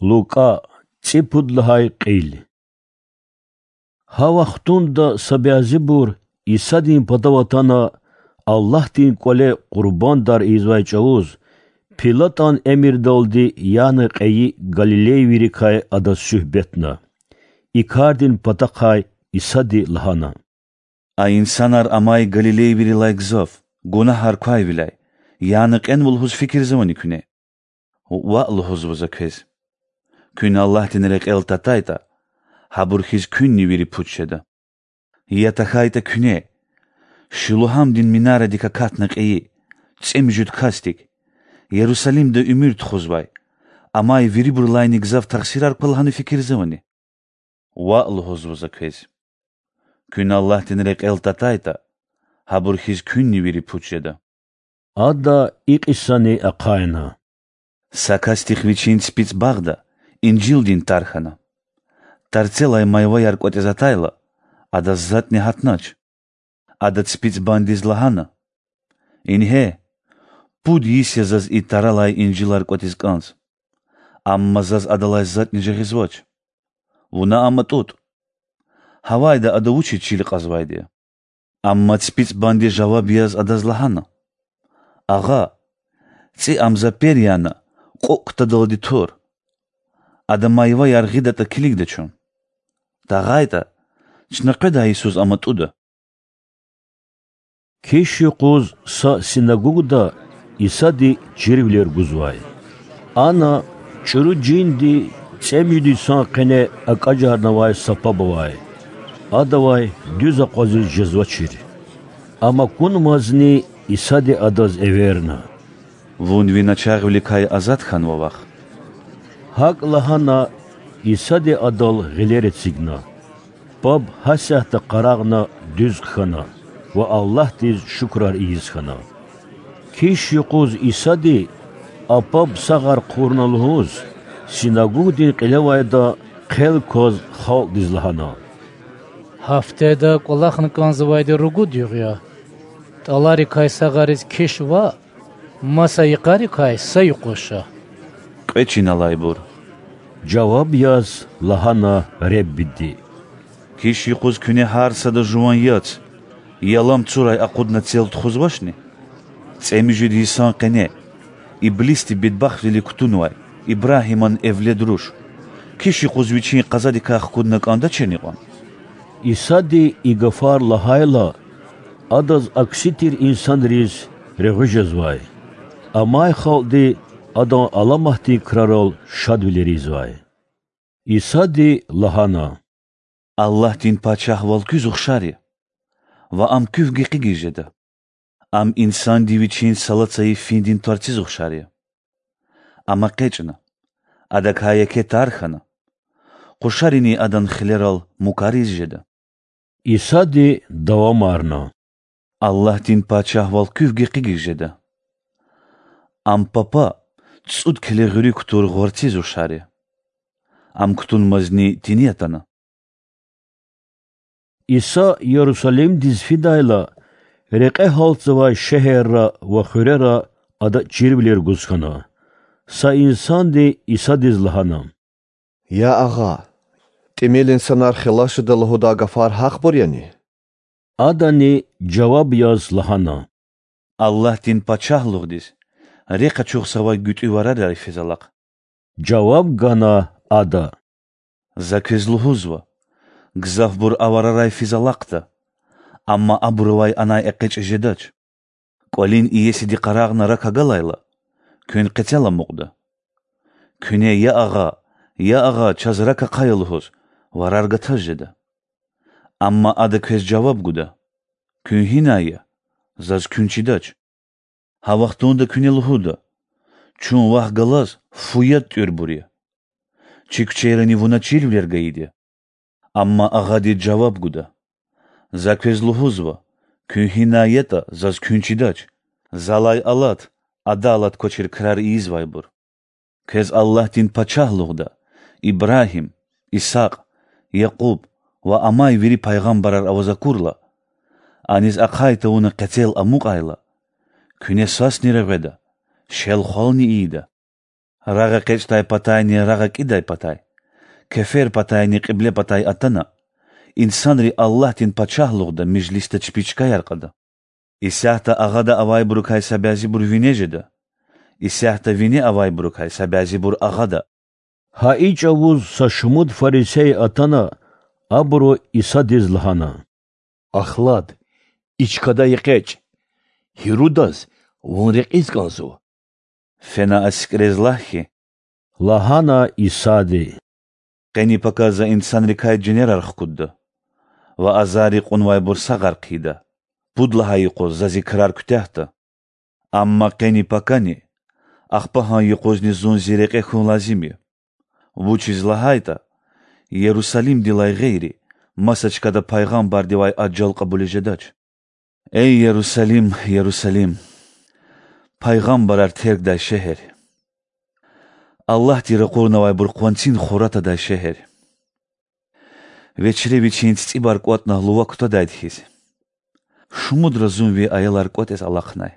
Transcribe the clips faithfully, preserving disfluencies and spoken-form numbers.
Лукӏа, цӏипуд лагьай кьил. Гьа вахтунда са бязибур Исадин патав атана, Аллагьдин кӏвале къурбандар ийизвай чӏавуз, Пилатан эмирдалди яна кьейи галилейвийрикай адаз суьгьбетна. И кардин патахъай Исади лагьана: А инсанар амай галилейвийрилай гзаф, гунагьар квайвиляй, яна кьенва лугьуз фикирзавани куьне? Ваъ лугьузва за квез: куьн Аллагьдин рекьел татайтӏа, гьабур хьиз куьнни вири пуч жеда. Я тахьайтӏа куьне: Шилугьамдин минарадик акатна кьейи, цӏемуьжуьд касдик, Ярусалимда уьмуьр тухузвай, амай вирибурулайни гзаф тахсирар ква лагьана фикирзавани? Ваъ лугьузва за квез: куьн Аллагьдин рекьел татайтӏа, гьабур хьиз куьнни вири пуч жеда. Ада и кьисани ахъайна: Са касдихъ вичин ципицӏ багъда инжилдин тар хьана. Тарцелай майваяр кӏватӏиз атайла, адаз затӏни гьатнач. Ада ципицӏбандиз лагьана: Ингье, пуд йис я заз и таралай инжилар кӏватӏиз кӏанз, амма заз адалай затӏни жагъизвач. Вуна ам атӏутӏ. Гьавайда ада вучиз чил кьазвайди я? Амма ципицӏбанди жаваб яз адаз лагьана: Агъа, цӏи ам за пер яна кьукӏ ктадалди тур. Ада майваяр гъидатӏа килигда чун. Тагъайтӏа, чна къведай йисуз ам атӏуда. Киш юкъуз са синагогда Исади чирвилер гузвай. Ана чӏуру жинди цӏемуьжуьд йисан къене акӏажарнавай са паб авай. Адавай дуьз акъвазиз жезвачир. Ам акунмазни Исади адаз эверна: Вун ви начагъвиликай азад хьанва вахъ. Гьакӏ лагьана, Исади адал гъилер эцигна. Паб гьасятда къарагъна дуьз хъхьана ва Аллагьдиз шукурар ийиз хьана. Киш юкъуз Исади, а паб сагъар хъувурна лугьуз, синагогдин кьилевайда хъел кваз халкьдиз лагьана: Гьафтеда кӏвалахна кӏанзавайди ругуд югъ я. Тӏаларикай сагъариз киш ваъ, маса йикъарикай са юкъуз ша. Кьве чин алайбур,— жаваб яз лагьана Реббиди,— киш юкъуз куьне гьар сада жуван яц, ялам цурай акъудна цел тухузвачни? ЦӀемуьжуьд йисан къене иблисди бедбахтвилик кутунвай Ибрагьиман эвлед руш киш юкъуз вичин къазадикай хкудна кӀандачирни кьван? Исади и гафар лагьайла, Адаз акси тир инсанриз регъуь жезвай. Амай халкьди Адан аламатдин крарал шадвилер ийизвай. Исади лагьана: Аллагьдин Пачагьвал куьз ухшар я, ва Ам куьв гекъигиз жеда. Ам инсанди вичин сала цайи финдин тӀварциз ухшар я. Ам экъечӀна, адакай еке тар хьана, къушарини адан хилерал мукариз жеда. Исади давамарна: Аллагьдин Пачагьвал куьв гекъигиз жеда. Ам папа цӀуд келе гъуьруьк тур гъварциз ухшар я. Ам кутунмазни тини атана. Иса Ярусалимдиз фидайла, рекье гьалтзавай шегьерра ва хуьрера Ада чирвилер гуз хьана. Са инсанди Исадиз лагьана: Я Агъа, тӀимил инсанар хилас жеда лугьудай гафар гьахъбур яни? Адани жаваб яз лагьана: Аллагьдин Пачагьлугъдиз рехъ ачухзавай гуьтӀуь варарай физ алахъ. Жаваб гана Ада: За квез лугьузва: гзафбур а варарай физ алахъда, амма абур авай анай экъечӀиз жедач. КӀвалин иесиди къарагъна рак агалайла, куьн къецел амукьда: Куьне, Я Агъа, Я Агъа, чаз рак ахъая лугьуз, варар гатаз жеда. Амма Ада квез жаваб гуда: Куьн гьинай я, заз куьн чидач. Гьа вахтунда куьне лугьуда: Чун вахъ галаз фу яд тӀуьрбур я. Чи куьчейрани вуна чирвилер гайиди я. Амма Агъади жаваб гуда: За квез лугьузва: куьн гьинай ятӀа, заз куьн чидач. Залай алат, адалат квачир крар ийизвайбур. Квез Аллагьдин Пачагьлугъда Ибрагьим, Исакь, Якьуб ва амай вири пайгъамбарар аваз акурла, аниз ахъай тавуна къецел амукьайла, куьне сасни регъведа, шел-хвални ийида. Рагъ экъечӀдай патайни рагъ акӀидай патай, кефер патайни кьибле патай атана, инсанри Аллагьдин пачагьлугъда межлисда чпи чкаяр кьада. Исятда агъада авайбурукай са бязибур вине жеда, исятда вине авайбурукай са бязибур агъада. Гьа и чӀавуз са шумуд фарисей атана, абуру Исадиз лагьана: Ахлад, и чкадай экъечӀ, Гьирудаз вун рекьиз кӀанзава. Фена а сикӀрез лагь хьи,– лагьана Исади,– къени-пака за инсанрикай жинерар хкудда ва азарри кьунвайбур сагъар хъийида, пуд лагьай юкъуз за зи крар куьтягьда. Амма къени-пакани, ахпа гьа юкъузни зун зи рекье хьун лазим я. Вучиз лагьайтӀа Ярусалимдилай гъейри маса чкада пайгъамбардивай ажал кьабулиз жедач. Эй, Ярусалим, Ярусалим! Пайгъамбарар тергдай шегьер! Аллагьди ракъурнавайбур къванцин хура тадай шегьер! Вечре вичин цицӀибар кӀватӀна лува кутадайди хьиз, шумудра зун ви аялар кӀватӀиз алахънай,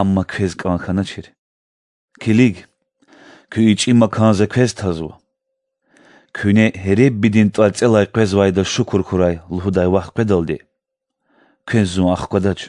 амма квез кӀан хьаначир. Килиг, куь ичӀи макан за квез тазва. Куьне Реббидин тӀварцӀелай къвезвайда шукур хьурай лугьудай вахт къведалди, квез зун ахквадач.